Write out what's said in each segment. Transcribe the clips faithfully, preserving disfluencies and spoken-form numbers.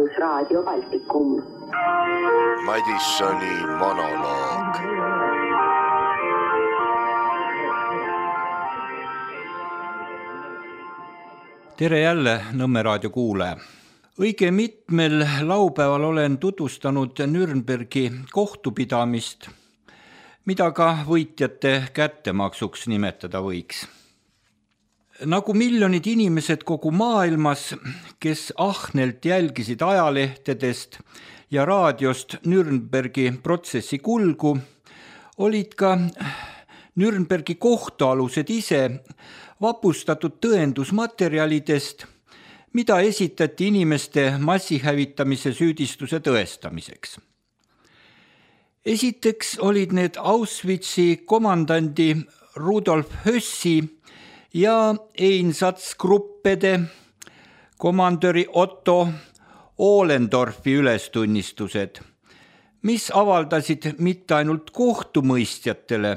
Rahvusraadio Baltikum. Madissoni monoloog. Tere jälle Nõmme raadio kuulaja. Õige mitmel laupäeval olen tutvustanud Nürnbergi kohtupidamist, mida ka võitjate kättemaksuks nimetada võiks. Nagu miljonid inimesed kogu maailmas, kes ahnelt jälgisid ajalehtedest ja raadiost Nürnbergi protsessi kulgu, olid ka Nürnbergi kohtualused ise vapustatud tõendusmaterjalidest, mida esitati inimeste massihävitamise süüdistuse tõestamiseks. Esiteks olid need Auschwitzi komandandi Rudolf Hössi ja Einsatzgruppede komandöri Otto Ohlendorfi ülestunnistused, mis avaldasid mitte ainult kohtumõistjatele,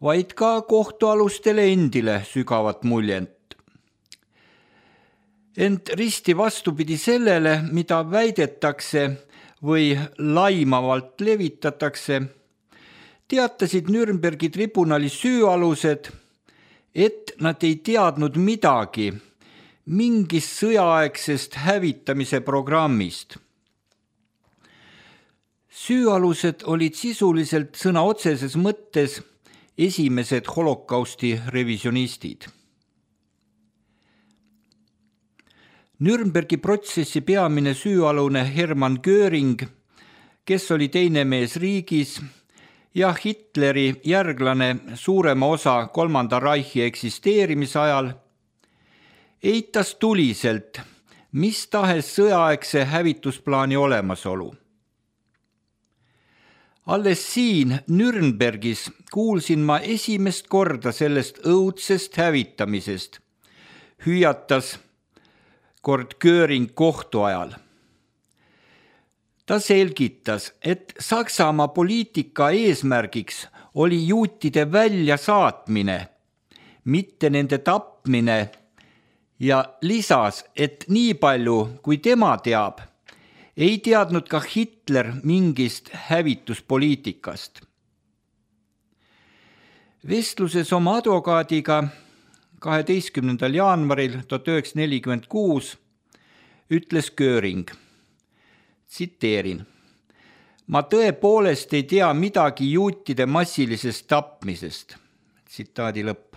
vaid ka kohtualustele endile sügavat muljent. Ent risti vastupidi sellele, mida väidetakse või laimavalt levitatakse, teatasid Nürnbergi tribunali süüalused, et nad ei teadnud midagi mingist sõjaaegsest hävitamise programmist. Süüalused olid sisuliselt sõna otseses mõttes esimesed holokausti revisionistid. Nürnbergi protsessi peamine süüalune Hermann Göring, kes oli teine mees riigis ja Hitleri järglane suurema osa kolmanda Reichi eksisteerimise ajal, eitas tuliselt mis tahes sõjaaegse hävitusplaani olemasolu. Alles siin Nürnbergis kuulsin ma esimest korda sellest õudsest hävitamisest, hüüatas kord Göring kohtu ajal. Ta selgitas, et Saksamaa poliitika eesmärgiks oli juutide väljasaatmine, mitte nende tapmine, ja lisas, et nii palju, kui tema teab, ei teadnud ka Hitler mingist hävituspoliitikast. Vestluses oma advokaadiga kaheteistkümnendal jaanuaril tuhat üheksasada nelikümmend kuus ütles Göring, tsiteerin, ma tõepoolest ei tea midagi juutide massilisest tapmisest. Tsitaadi lõpp.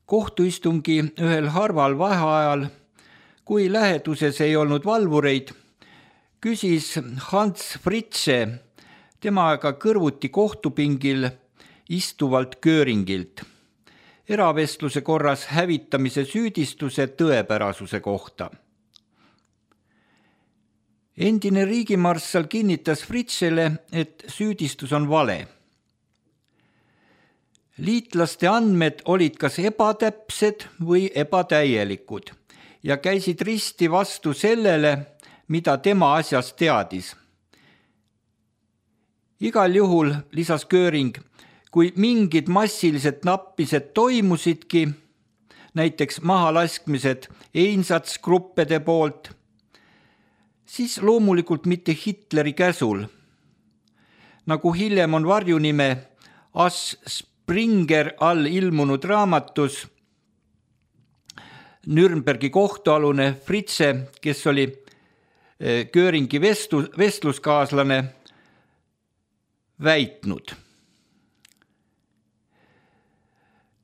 Kohtuistungi ühel harval vaheajal, kui läheduses ei olnud valvureid, küsis Hans Fritzsche temaga kõrvuti kohtupingil istuvalt Göringilt eravestluse korras hävitamise süüdistuse tõepärasuse kohta. Endine riigimarssal kinnitas Fritzschele, et süüdistus on vale. Liitlaste andmed olid kas ebatäpsed või ebatäielikud ja käisid risti vastu sellele, mida tema asjast teadis. Igal juhul, lisas Göring, kui mingid massilised nappised toimusidki, näiteks mahalaskmised Einsatzgruppede poolt, siis loomulikult mitte Hitleri käsul. Nagu hiljem on varjunime As Springer all ilmunud raamatus Nürnbergi kohtualune Fritzsche, kes oli Göringi vestlus, vestluskaaslane, väitnud.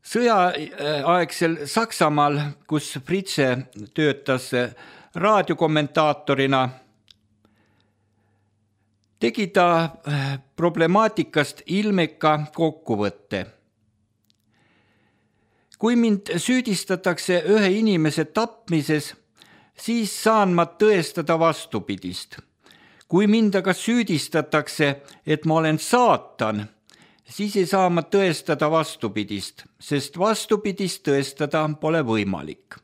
Sõjaaegsel Saksamaal, kus Fritzsche töötas raadiokommentaatorina, tegi ta problemaatikast ilmeka kokkuvõtte. Kui mind süüdistatakse ühe inimese tapmises, siis saan ma tõestada vastupidist. Kui mind aga süüdistatakse, et ma olen saatan, siis ei saa ma tõestada vastupidist, sest vastupidist tõestada pole võimalik.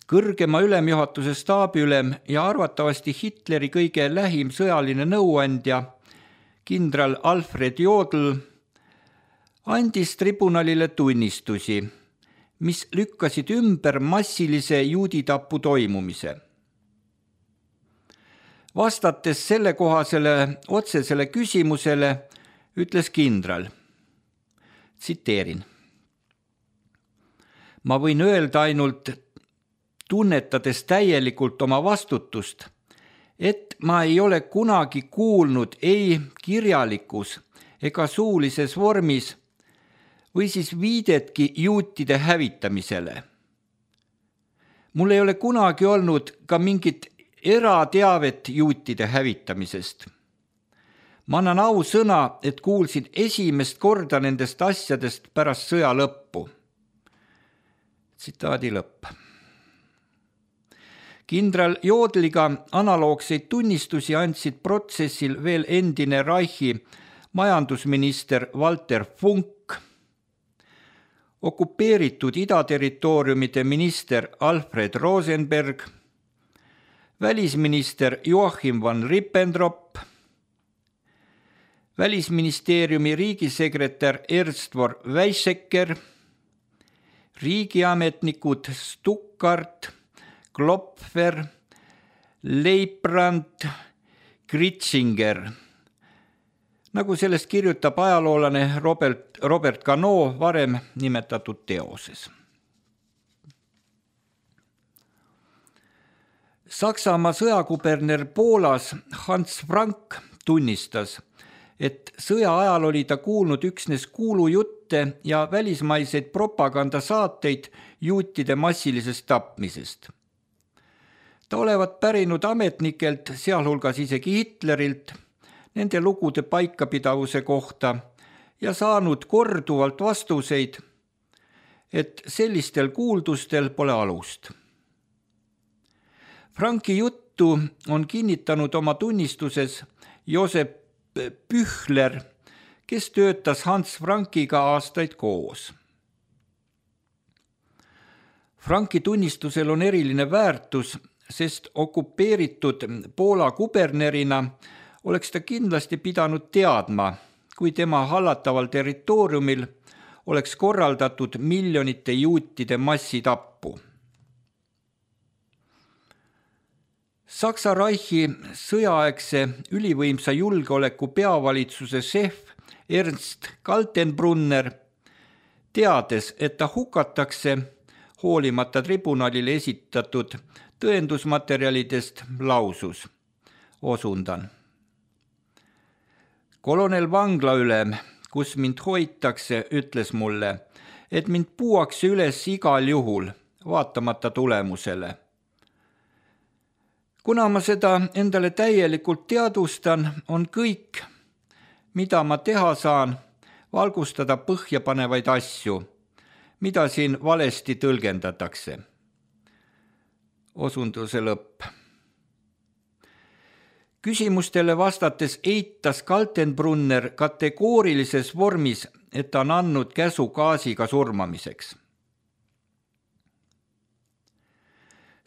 Kõrgema ülemjuhatuse staabiülem ja arvatavasti Hitleri kõige lähim sõjaline nõuandja, kindral Alfred Jodl, andis tribunalile tunnistusi, mis lükkasid ümber massilise juuditapu toimumise. Vastates selle kohasele otsesele küsimusele ütles kindral, tsiteerin: ma võin öelda ainult, tunnetades täielikult oma vastutust, et ma ei ole kunagi kuulnud ei kirjalikus ega suulises vormis või siis viidetki juutide hävitamisele. Mul ei ole kunagi olnud ka mingit erateavet juutide hävitamisest. Ma annan au sõna, et kuulsin esimest korda nendest asjadest pärast sõja lõppu. Tsitaadi lõpp. Kindral Jodliga analoogseid tunnistusi andsid protsessil veel endine Reichi majandusminister Walter Funk, okupeeritud idaterritooriumide minister Alfred Rosenberg, välisminister Joachim van Rippentrop, välisministeeriumi riigisekretär Ernst-Vor Weizsäcker, riigiametnikud Stuckart, Klopfer, Leibrand, Gritzinger, nagu sellest kirjutab ajaloolane Robert, Robert Cano varem nimetatud teoses. Saksamaa sõjakuberner Poolas Hans Frank tunnistas, et sõja ajal oli ta kuulnud üksnes kuulujutte ja välismaiseid propagandasaateid juutide massilisest tapmisest. Ta olevat pärinud ametnikelt, sealhulgas isegi Hitlerilt, nende lugude paikapidavuse kohta ja saanud korduvalt vastuseid, et sellistel kuuldustel pole alust. Franki juttu on kinnitanud oma tunnistuses Josep Pühler, kes töötas Hans Frankiga aastaid koos. Franki tunnistusel on eriline väärtus, sest okupeeritud Poola kubernerina oleks ta kindlasti pidanud teadma, kui tema hallataval territooriumil oleks korraldatud miljonite juutide massitappu. Saksa Reichi sõjaaegse ülivõimsa julgeoleku peavalitsuse šef Ernst Kaltenbrunner, teades, et ta hukatakse hoolimata tribunalile esitatud tõendusmaterjalidest, lausus, osundan. Kolonel vanglaülem, kus mind hoitakse, ütles mulle, et mind puuakse üles igal juhul, vaatamata tulemusele. Kuna ma seda endale täielikult teadvustan, on kõik, mida ma teha saan, valgustada põhjapanevaid asju, mida siin valesti tõlgendatakse. Osunduse lõpp. Küsimustele vastates eitas Kaltenbrunner kategoorilises vormis, et ta on andnud käsu gaasiga surmamiseks.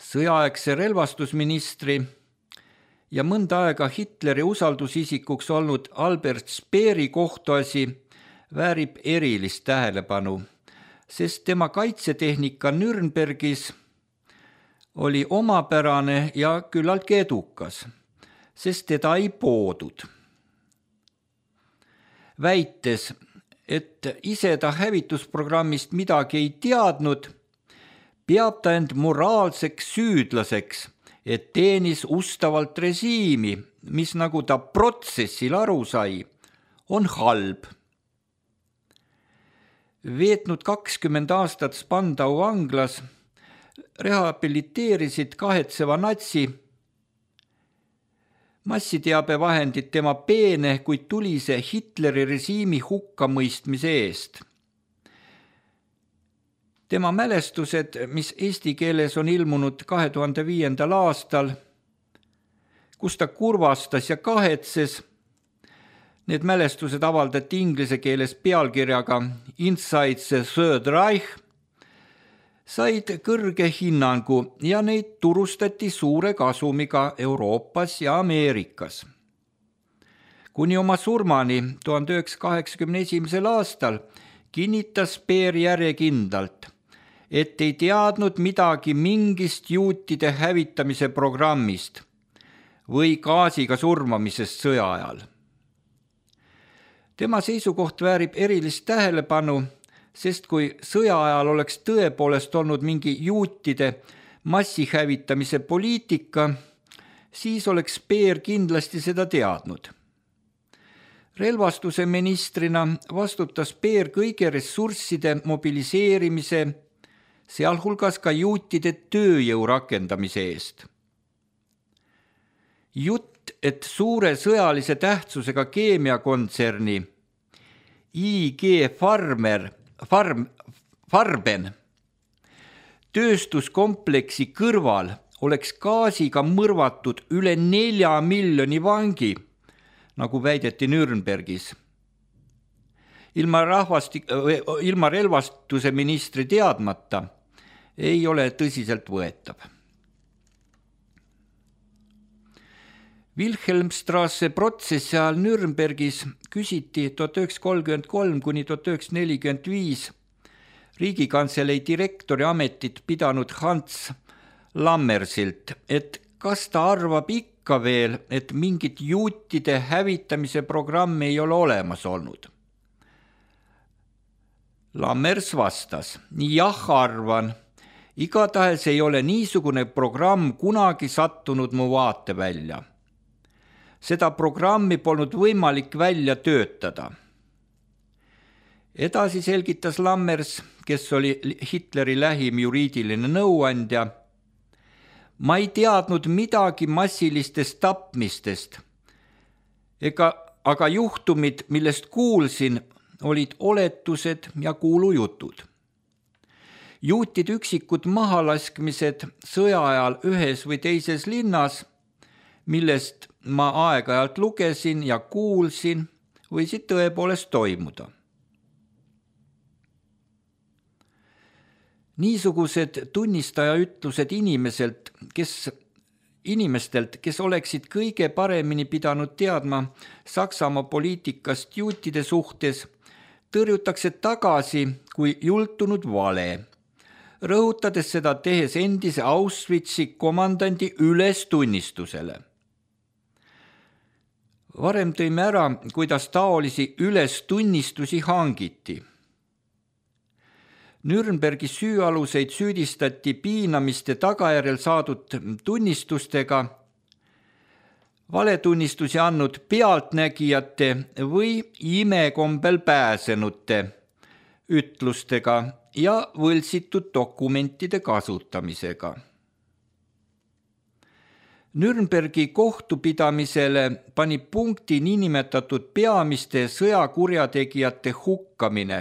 Sõjaaegse relvastusministri ja mõnda aega Hitleri usaldusisikuks olnud Albert Speeri kohtuasi väärib erilist tähelepanu, sest tema kaitsetehnika Nürnbergis oli omapärane ja küllaltki edukas, sest teda ei poodud. Väites, et ise ta hävitusprogrammist midagi ei teadnud, peab ta end moraalseks süüdlaseks, et teenis ustavalt režiimi, mis nagu ta protsessil aru sai, on halb. Veetnud kakskümmend aastat Spandau vanglas, rehabiliteerisid kahetseva natsi massiteabevahendid tema peene, kuid tulise Hitleri režiimi hukkamõistmise eest. Tema mälestused, mis eesti keeles on ilmunud kahe tuhande viiendal aastal, kus ta kurvastas ja kahetses, need mälestused avaldati inglise keeles pealkirjaga Inside the Third Reich, said kõrge hinnangu ja neid turustati suure kasumiga Euroopas ja Ameerikas. Kuni oma surmani tuhande üheksasaja kaheksakümne esimesel aastal kinnitas Speer järjekindlalt, et ei teadnud midagi mingist juutide hävitamise programmist või gaasiga surmamisest sõja ajal. Tema seisukoht väärib erilist tähelepanu, sest kui sõja ajal oleks tõepoolest olnud mingi juutide massihävitamise poliitika, siis oleks Speer kindlasti seda teadnud. Relvastuse ministrina vastutas Speer kõige ressursside mobiliseerimise, sealhulgas ka juutide tööjõu rakendamise eest. Jutt, et suure sõjalise tähtsusega keemiakontserni I G Farmer, Farm, Farben tööstuskompleksi kõrval oleks gaasiga mõrvatud üle nelja miljoni vangi, nagu väideti Nürnbergis. Ilma, rahvastik, ilma relvastuse ministri teadmata ei ole tõsiselt võetav. Wilhelmstrasse protsessi ajal Nürnbergis küsiti tuhat üheksasada kolmkümmend kolm kuni tuhat üheksasada nelikümmend viis Riigikantselei direktori ametit pidanud Hans Lammersilt, et kas ta arvab ikka veel, et mingit juutide hävitamise programmi ei ole olemas olnud. Lammers vastas, jah arvan, igatahes ei ole niisugune programm kunagi sattunud mu vaate välja. Seda programmi polnud võimalik välja töötada. Edasi selgitas Lammers, kes oli Hitleri lähim juriidiline nõuandja, ma ei teadnud midagi massilistest tapmistest, ega, aga juhtumid, millest kuulsin, olid oletused ja kuulujutud. Juutid üksikud mahalaskmised sõja ajal ühes või teises linnas, millest ma aeg-ajalt lugesin ja kuulsin, võisid tõepoolest toimuda. Niisugused tunnistaja ütlused inimeselt, kes, inimestelt, kes oleksid kõige paremini pidanud teadma Saksamaa poliitikast juutide suhtes, tõrjutakse tagasi kui jultunud vale, rõhutades seda tehes endise Auschwitzi komandandi ülestunnistusele. Varem tõime ära, kuidas taolisi ülestunnistusi hangiti. Nürnbergi süüaluseid süüdistati piinamiste tagajärjel saadud tunnistustega, valetunnistusi andnud pealtnägijate või imekombel pääsenute ütlustega ja võltsitud dokumentide kasutamisega. Nürnbergi kohtupidamisele pani punkti niinimetatud peamiste sõjakurjategijate hukkamine,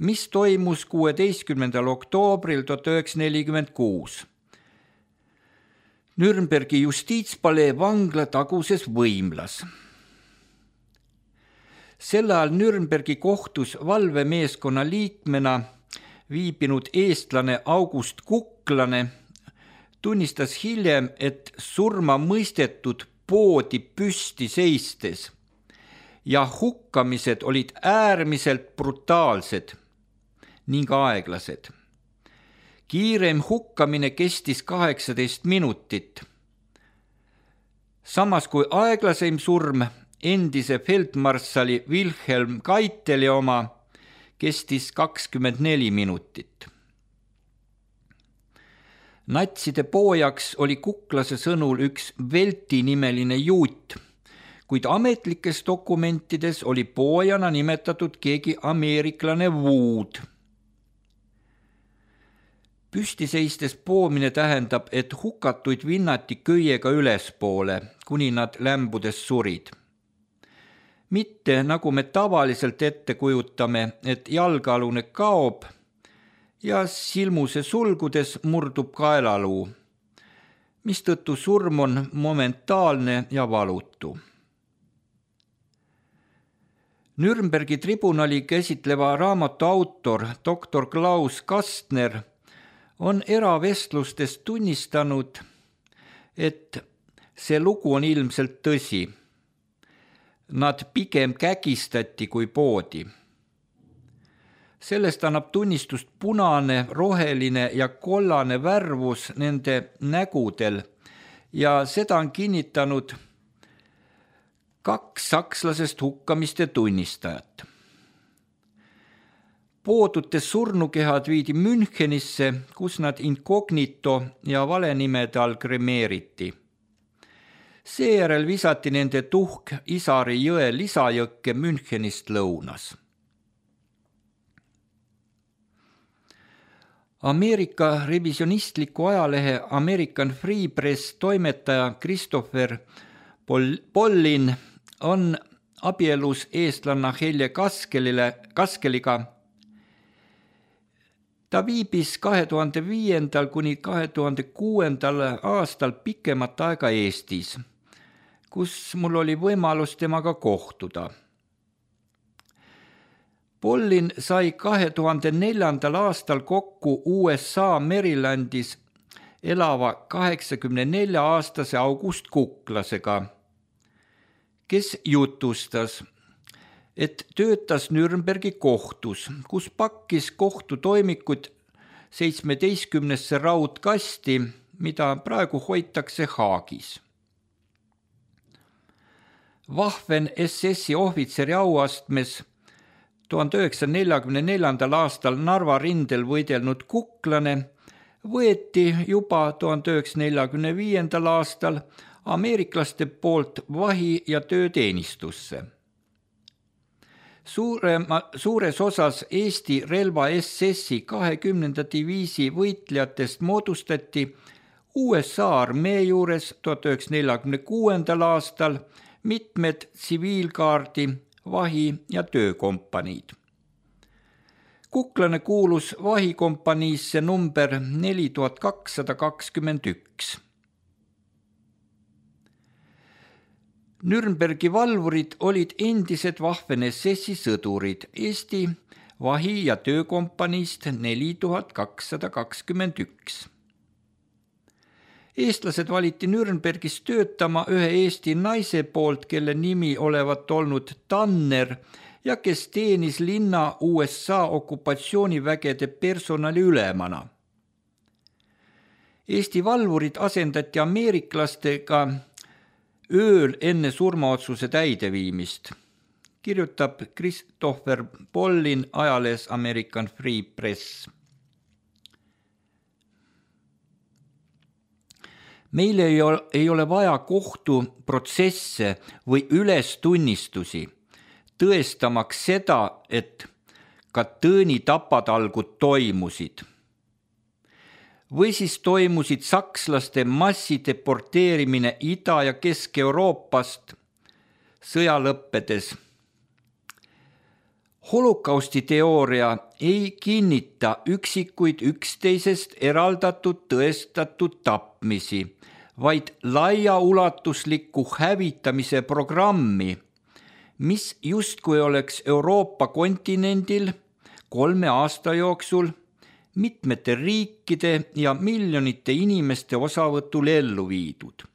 mis toimus kuueteistkümnendal oktoobril tuhat üheksasada nelikümmend kuus. Nürnbergi justiitspalee vangla taguses võimlas. Sel ajal Nürnbergi kohtus valvemeeskonna liikmena viibinud eestlane August Kuklane tunnistas hiljem, et surma mõistetud poodi püsti seistes ja hukkamised olid äärmiselt brutaalsed ning aeglased. Kiirem hukkamine kestis kaheksateist minutit. Samas kui aeglaseim surm endise feldmarssali Wilhelm Keiteli oma kestis kakskümmend neli minutit. Natside poojaks oli Kuklase sõnul üks Velti nimeline juut, kuid ametlikes dokumentides oli poojana nimetatud keegi ameeriklane Wood. Püsti seistes poomine tähendab, et hukatuid vinnati köiega ülespoole, kuni nad lämbudes surid. Mitte nagu me tavaliselt ette kujutame, et jalgealune kaob ja silmuse sulgudes murdub kaelaluu, mistõttu surm on momentaalne ja valutu. Nürnbergi tribunali käsitleva raamatu autor doktor Klaus Kastner on eravestlustes tunnistanud, et see lugu on ilmselt tõsi. Nad pigem kägistati kui poodi. Sellest annab tunnistust punane, roheline ja kollane värvus nende nägudel ja seda on kinnitanud kaks sakslasest hukkamiste tunnistajat. Poodute surnukehad viidi Münchenisse, kus nad incognito ja valenimede all kremeeriti. Seejärel visati nende tuhk Isari jõe lisajõkke Münchenist lõunas. Ameerika revisionistliku ajalehe American Free Press toimetaja Christopher Pollin on abielus eestlanna Helje Kaskelile, Kaskeliga. Ta viibis kahe tuhande viiendal kuni kahe tuhande kuuendal aastal pikemat aega Eestis, kus mul oli võimalus temaga kohtuda. Pollin sai kahe tuhande neljandal aastal kokku U S A Marylandis elava kaheksakümne nelja aastase August Kuklasega, kes jutustas, et töötas Nürnbergi kohtus, kus pakkis kohtutoimikud seitsmeteistkümnesse raudkasti, mida praegu hoitakse Haagis. Waffen S S-i ohvitseri auastmes tuhande üheksasaja neljakümne neljandal aastal Narva rindel võidelnud Kuklane võeti juba tuhande üheksasaja neljakümne viiendal aastal ameeriklaste poolt vahi- ja tööteenistusse. Suurema, suures osas Eesti relva S S-i kahekümnenda diviisi võitlejatest moodustati U S A armee juures tuhande üheksasaja neljakümne kuuendal aastal mitmed tsiviilkaardi, vahi- ja töökompaniid. Kuklane kuulus vahikompaniisse number neli tuhat kakssada kakskümmend üks. Nürnbergi valvurid olid endised Waffen S S-i sõdurid Eesti vahi- ja töökompaniist neli tuhat kakssada kakskümmend üks. Eestlased valiti Nürnbergis töötama ühe Eesti naise poolt, kelle nimi olevat olnud Tanner ja kes teenis linna U S A okupatsioonivägede personali ülemana. Eesti valvurid asendati ameeriklastega ööl enne surmaotsuse täideviimist, kirjutab Christopher Pollin ajalehes American Free Press. Meil ei ole, ei ole vaja kohtuprotsesse või ülestunnistusi, tõestamaks seda, et Katõni tapatalgud toimusid. Või siis toimusid sakslaste massideporteerimine Ida- ja Kesk-Euroopast sõja lõppedes. Holokausti teooria ei kinnita üksikuid üksteisest eraldatud tõestatud tapmisi, vaid laiaulatuslikku hävitamise programmi, mis justkui oleks Euroopa kontinendil kolme aasta jooksul mitmete riikide ja miljonite inimeste osavõtul ellu viidud.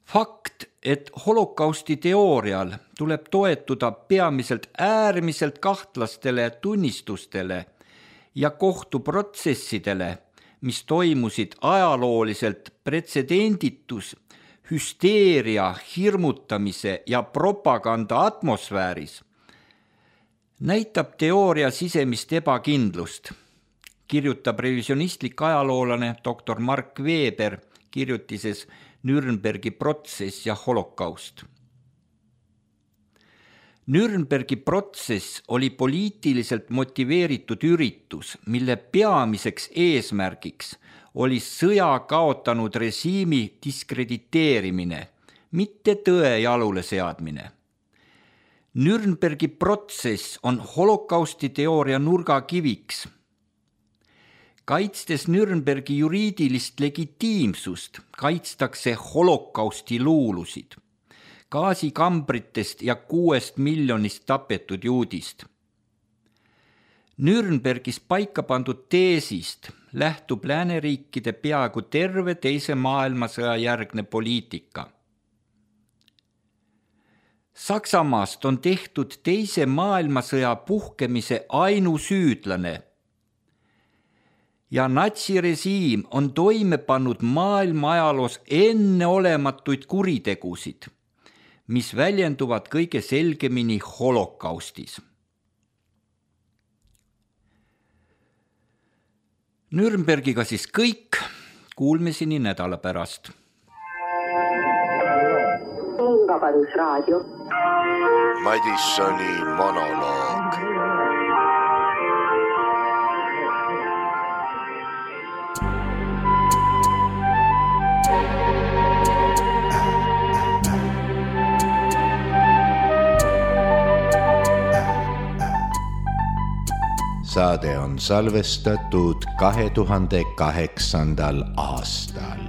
Fakt, et holokausti teoorial tuleb toetuda peamiselt äärmiselt kahtlastele tunnistustele ja kohtuprotsessidele, mis toimusid ajalooliselt pretsedenditus, hüsteeria, hirmutamise ja propaganda atmosfääris, näitab teooria sisemist ebakindlust, kirjutab revisionistlik ajaloolane doktor Mark Weber kirjutises Nürnbergi protsess ja holokaust. Nürnbergi protsess oli poliitiliselt motiveeritud üritus, mille peamiseks eesmärgiks oli sõja kaotanud režiimi diskrediteerimine, mitte tõe jalule seadmine. Nürnbergi protsess on holokausti teooria nurgakiviks. Kaitstes Nürnbergi juriidilist legitiimsust, kaitstakse holokausti luulusid, gaasikambritest ja kuuest miljonist tapetud juudist. Nürnbergis paika pandud teesist lähtub lääneriikide peaaegu terve teise maailmasõja järgne poliitika. Saksamaast on tehtud teise maailmasõja puhkemise ainusüüdlane ja natsirežiim on toime pannud maailma ajaloos enneolematuid kuritegusid, mis väljenduvad kõige selgemini holokaustis. Nürnbergiga siis kõik, kuulmiseni nädala pärast. Vabadusraadio. Madissoni monoloog. Saade on salvestatud kahe tuhande kaheksandal aastal.